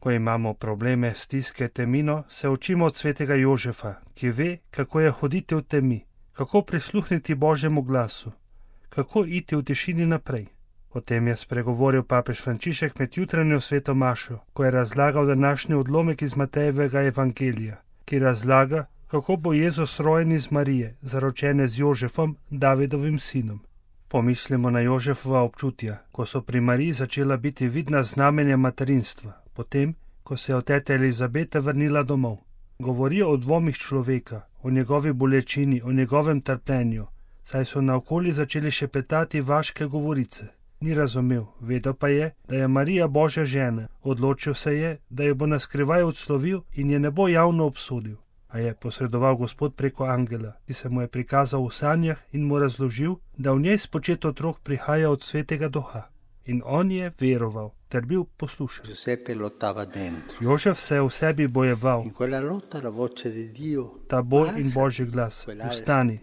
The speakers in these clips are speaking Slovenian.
Ko imamo probleme, stiske, temino, se učimo od svetega Jožefa, ki ve, kako je hoditi v temi, kako prisluhniti Božjemu glasu, kako iti v tišini naprej. O tem je spregovoril papež Frančišek med jutranjo sveto mašo, ko je razlagal današnji odlomek iz Matejevega evangelija, ki razlaga, kako bo Jezus rojen iz Marije, zaročene z Jožefom, Davidovim sinom. Pomislimo na Jožefova občutja, ko so pri Mariji začela biti vidna znamenja materinstva, potem, ko se je od tete Elizabete vrnila domov. Govorijo o dvomih človeka, o njegovi bolečini, o njegovem trpljenju, saj so naokoli začeli šepetati vaške govorice. Ni razumel, vedel pa je, da je Marija Božja žena, odločil se je, da jo bo naskrivaj odslovil in je ne bo javno obsodil. A je posredoval Gospod preko angela, ki se mu je prikazal v sanjah in mu razložil, da v njej spočet otrok prihaja od svetega duha. In on je veroval, ter bil poslušen. Jožef se je v sebi bojeval. Ta boj in Božji glas. Vstani.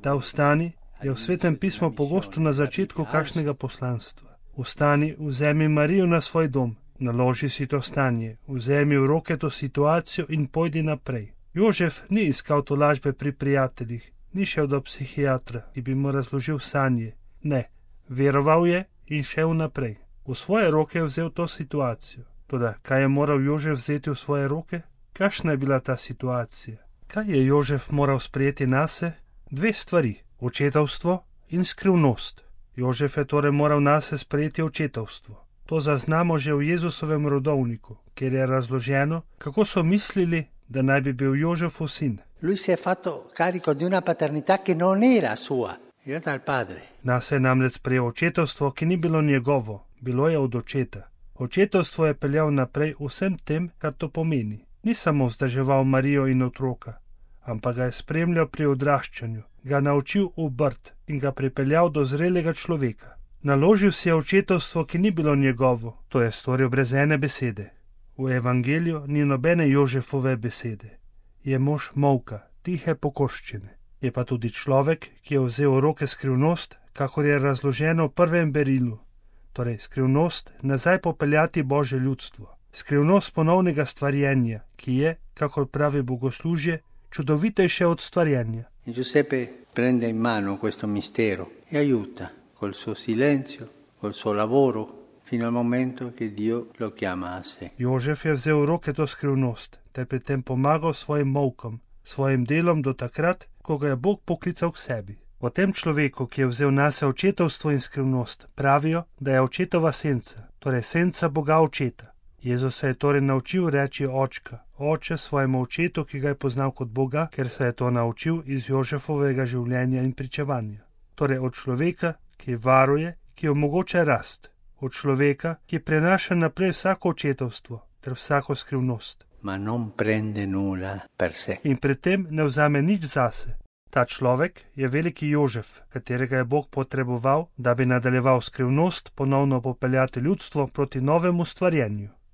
Ta vstani je v Svetem pismu pogosto na začetku kakšnega poslanstva. Vstani, vzemi Marijo na svoj dom, naloži si to stanje, vzemi v roke to situacijo in pojdi naprej. Jožef ni iskal tolažbe pri prijateljih, ni šel do psihiatra, ki bi mu razložil sanje. Ne, veroval je in šel naprej. V svoje roke je vzel to situacijo. Toda, kaj je moral Jožef vzeti v svoje roke? Kakšna je bila ta situacija? Kaj je Jožef moral sprejeti nase? Dve stvari. Očetovstvo in skrivnost. Jožef je torej moral nase sprejeti očetovstvo. To zaznamo že v Jezusovem rodovniku, kjer je razloženo, kako so mislili, da naj bi bil Jožefov sin. Lui si è fatto carico di una paternità che non era sua, era dal padre. Nase je namreč sprejel očetovstvo, ki ni bilo njegovo, bilo je od očeta. Očetovstvo je peljal naprej vsem tem, kar to pomeni. Ni samo vzdrževal Marijo in otroka, ampak ga je spremljal pri odraščanju, ga naučil obrt in ga pripeljal do zrelega človeka. Naložil si je očetovstvo, ki ni bilo njegovo, to je storil brez ene besede. V evangeliju ni nobene Jožefove besede. Je mož molka, tihe pokorščine. Je pa tudi človek, ki je vzel v roke skrivnost, kakor je razloženo v prvem berilu. Torej, skrivnost nazaj popeljati Božje ljudstvo. Skrivnost ponovnega stvarjenja, ki je, kakor pravi bogoslužje, čudovitejše od stvarjenja. Giuseppe prende in mano questo mistero e aiuta col suo silenzio, col suo lavoro, fino al momento che Dio lo chiama a sé. Jožef je vzel v roke to skrivnost, ter pri tem pomagal svojim molkom, svojim delom do takrat, ko ga je Bog poklical k sebi. O tem človeku, ki je vzel nase očetovstvo in skrivnost, pravijo, da je očetova senca, torej senca Boga očeta. Jezus se je torej naučil reči očka, oče svojemu očetu, ki ga je poznal kot Boga, ker se je to naučil iz Jožefovega življenja in pričevanja. Torej od človeka, ki varuje, ki omogoča rast. Od človeka, ki prenaša naprej vsako očetovstvo ter vsako skrivnost. Ma non prende nulla per sé. In pri tem ne vzame nič zase. Ta človek je veliki Jožef, katerega je Bog potreboval, da bi nadaljeval skrivnost, ponovno popeljati ljudstvo proti novemu stvarjenju.